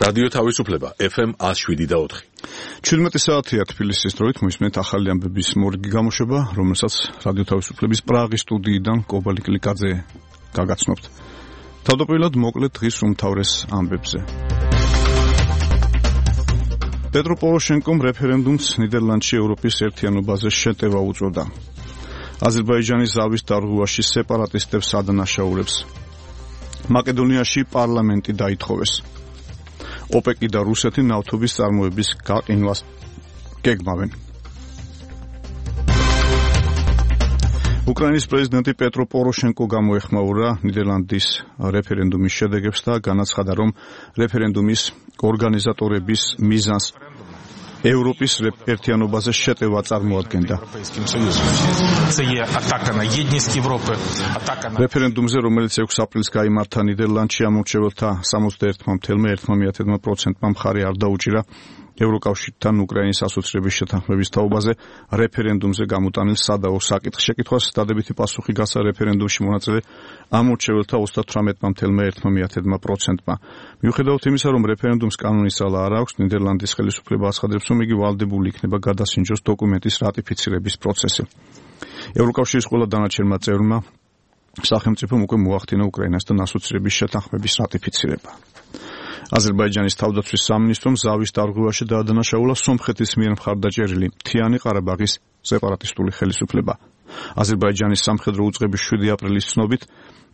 რადიო თავისუფლება FM 107.4. 17 საათია თბილისის დროით მოისმენთ ახალი ამბების მორიგი გამოშვება, რომელსაც რადიო თავისუფლების პრაღის სტუდიიდან კობალი კლიკაძე გაგაცნობთ. თავდაპირველად მოკლედ დღის უმთავრეს ამბებზე. პეტრო პოროშენკომ რეფერენდუმს ნიდერლანდში ევროპის ერთიანობაზე შეტევა უწოდა. აზერბაიჯანის ზავის დარღვევაში სეპარატისტებს ადანაშაულებს. მაკედონიაში პარლამენტი დაითხოვეს. ოპეკი და რუსეთი ნავთობის წარმოების გაყინვას გეგმავენ. უკრაინის პრეზიდენტი პეტრო პოროშენკო გამოეხმაურა ნიდერლანდის რეფერენდუმის შედეგებს და განაცხადა, რომ რეფერენდუმის ორგანიზატორების მიზანს ევროპის ერთიანობაზე შეტევა წარმოადგენდა. რეფერენდუმზე, რომელიც 6 აპრილს გაიმართა ნიდერლანდში, ამორჩეველთა 61.1%-მა მხარი არ დაუჭირა ევროკავშირთან უკრაინის ასოცირების შეთანხმების თაობაზე რეფერენდუმზე გამოტანილ სადაო საკითხს. შეკითხვას დადებითი პასუხი გასცა რეფერენდუმში მონაწილე ამორჩეველთა 38.1%-მა. მიუხედავად იმისა, რომ რეფერენდუმს კანონის ძალა არ აქვს, ნიდერლანდის ხელისუფლება აცხადებს, რომ იგი ვალდებული იქნება გადასინჯოს დოკუმენტის რატიფიცირების პროცესი. ევროკავშირის ყველა დანარჩენმა წევრმა სახელმწიფომ უკვე მოახდინა უკრაინასთან ასოცირების შეთანხმების რატიფიცირება. აზერბაიჯანის თავდაცვის სამინისტრომ ზავის დარღვევაში დაადანაშაულა სომხეთის მიერ მხარდაჭერილი მთიანი ყარაბაღის სეპარატისტული ხელისუფლება. აზერბაიჯანის სამხედრო უწყების 7 აპრილის ცნობით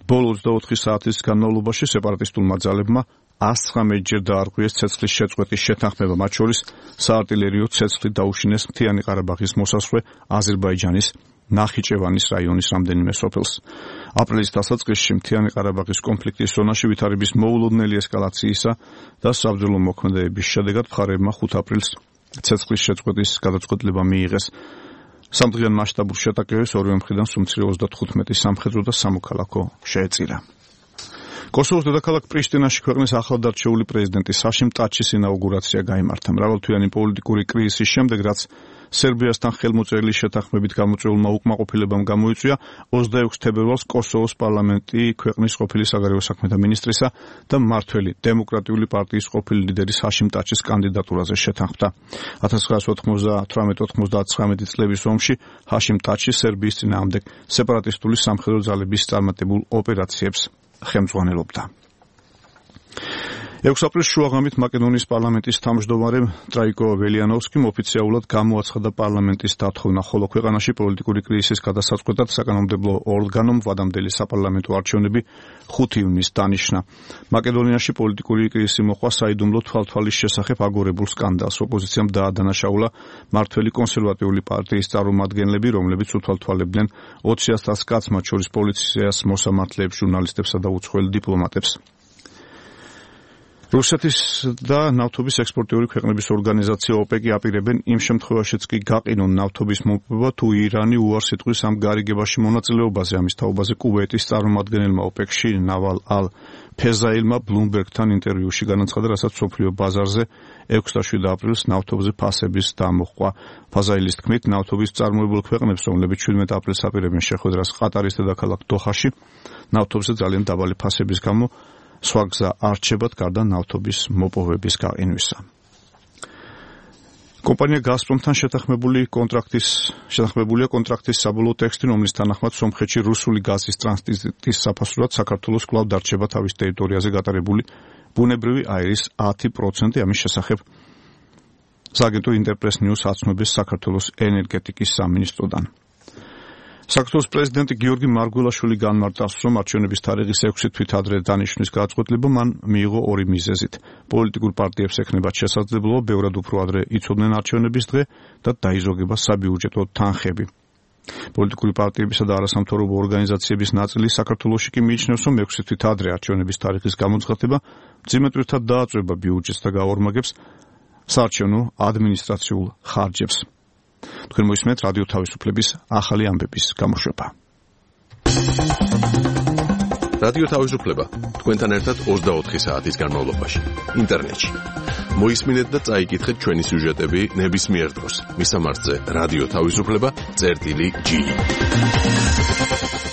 ბოლო 24 საათის განმავლობაში სეპარატისტულმა ძალებმა 119-ჯერ დაარღვიეს ცეცხლის შეწყვეტის შეთანხმება, მათ შორის საარტილერიო ცეცხლით დაუშინეს მთიანი ყარაბაღის მოსასვლე აზერბაიჯანის ნახიჩევანის რაიონის რამდენიმე სოფელს. აპრილის დასაწყისში მთიანი ყარაბაღის კონფლიქტის ზონაში ვითარების მოულოდნელი ესკალაციისა და საბრძოლო მოქმედებების შედეგად მხარეებმა 5 აპრილს ცეცხლის შეწყვეტის გადაწყვეტილება მიიღეს. სამდღიან მასშტაბურ შეტაკებებს ორივე მხრიდან სუმცირე 35 სამხედრო და სამოქალაქო შეეწირა. კოსოვოს დედაქალაქ პრიშტინაში ქვეყნის ახლადარჩეული პრეზიდენტის ჰაშიმ ტაჩის ინაუგურაცია გაიმართა. მრავალთვიანი პოლიტიკური კრიზისის შემდეგ, რაც სერბიასთან ხელმოწერილი შეთანხმებით გამოწვეულმა უკმაყოფილებამ გამოიწვია, 26 თებერვალს კოსოვოს პარლამენტი ქვეყნის ყოფილი საგარეო საქმეთა მინისტრისა და მმართველი დემოკრატიული პარტიის ყოფილი ლიდერის ჰაშიმ ტაჩის კანდიდატურაზე შეთანხმდა. 1998-99 წლების ომში ჰაშიმ ტაჩი სერბიის წინააღმდეგ სეპარატისტული სამხედრო ძალების წარმატებულ ოპერაციებს ხელმძღვანელობდა. 6 აპრილს შუაღამით მაკედონიის პარლამენტის თავმჯდომარე ტრაიკო ველიანოვსკიმ ოფიციალურად გამოაცხადა პარლამენტის დათხოვნა, ხოლო ქვეყანაში პოლიტიკური კრიზისის გადასაწყვეტად საკანონმდებლო ორგანომ ვადამდელი საპარლამენტო არჩევნები 5 ივნისს დანიშნა. მაკედონიაში პოლიტიკური კრიზისი მოჰყვა საიდუმლო თვალთვალის შესახებ აგორებულ სკანდალს. ოპოზიციამ დაადანაშაულა მმართველი კონსერვატიული პარტიის წარმომადგენლები, რომლებიც უთვალთვალებდნენ 20,000 კაცს, მათ შორის პოლიციას, მოსამართლეებს, ჟურნალისტებსა და უცხოელ დიპლომატებს. რუსეთის და ნავთობის ექსპორტიორი ქვეყნების ორგანიზაცია ოპეკი აპირებენ იმ შემთხვევაშიც კი გაყინონ ნავთობის მომპოვება, თუ ირანი უარს იტყვის ამ გარიგებაში მონაწილეობაზე. ამის თაობაზე კუვეიტის წარმომადგენელმა ოპეკში ნავალ ალ ფეზაილმა ბლუმბერგთან ინტერვიუში განაცხადა, რასაც მსოფლიო ბაზარზე 6 და 7 აპრილს ნავთობზე ფასების დამოყვა. ფაზაილის თქმით, ნავთობის წარმოებულ ქვეყნებს, რომლებიც 17 აპრილს აპირებენ შეხვედრას ყატარის დედაქალაქ დოჰაში, ნავთობზე ძალიან დაბალი ფასების გამო სხვა გზა არ რჩებათ გარდა ნავთობის მოპოვების გაყინვისა. კომპანია გაზპრომთან შეთანხმებულია კონტრაქტის საბოლოო ტექსტი, რომლის თანახმად სომხეთში რუსული გაზის ტრანზიტის საფასურად საქართველოს კვლავ დარჩება თავის ტერიტორიაზე გატარებული ბუნებრივი აირის 10%. ამის შესახებ სააგენტო ინტერპრეს ნიუს აცნობს საქართველოს ენერგეტიკის სამინისტროდან. საქართველოს პრეზიდენტი გიორგი მარგველაშვილი განმარტავს, რომ არჩევნების თარიღის 6 თვით ადრე დანიშნვის გადაწყვეტილება მან მიიღო 2 მიზეზით. პოლიტიკურ პარტიებს ექნებათ შესაძლებლობა ბევრად უფრო ადრე იცოდნენ არჩევნების დღე და დაიზოგება საბიუჯეტო თანხები. პოლიტიკური პარტიებისა და არასამთავრობო ორგანიზაციების ნაწილი საქართველოში კი მიიჩნევს, რომ 6 თვით ადრე არჩევნების თარიღის გამოცხადება ძიმეთვრთან დააწვება ბიუჯეტს და გაორმაგებს საარჩევნო ადმინისტრაციულ ხარჯებს. თქვენ მოისმენთ რადიო თავისუფლების ახალი ამბების გამოშვება. რადიო თავისუფლება თქვენთან ერთად 24 საათის განმავლობაში ინტერნეტში. მოისმინეთ და წაიკითხეთ ჩვენი სიუჟეტები ნებისმიერ დროს. მისამართზე რადიო თავისუფლება.gi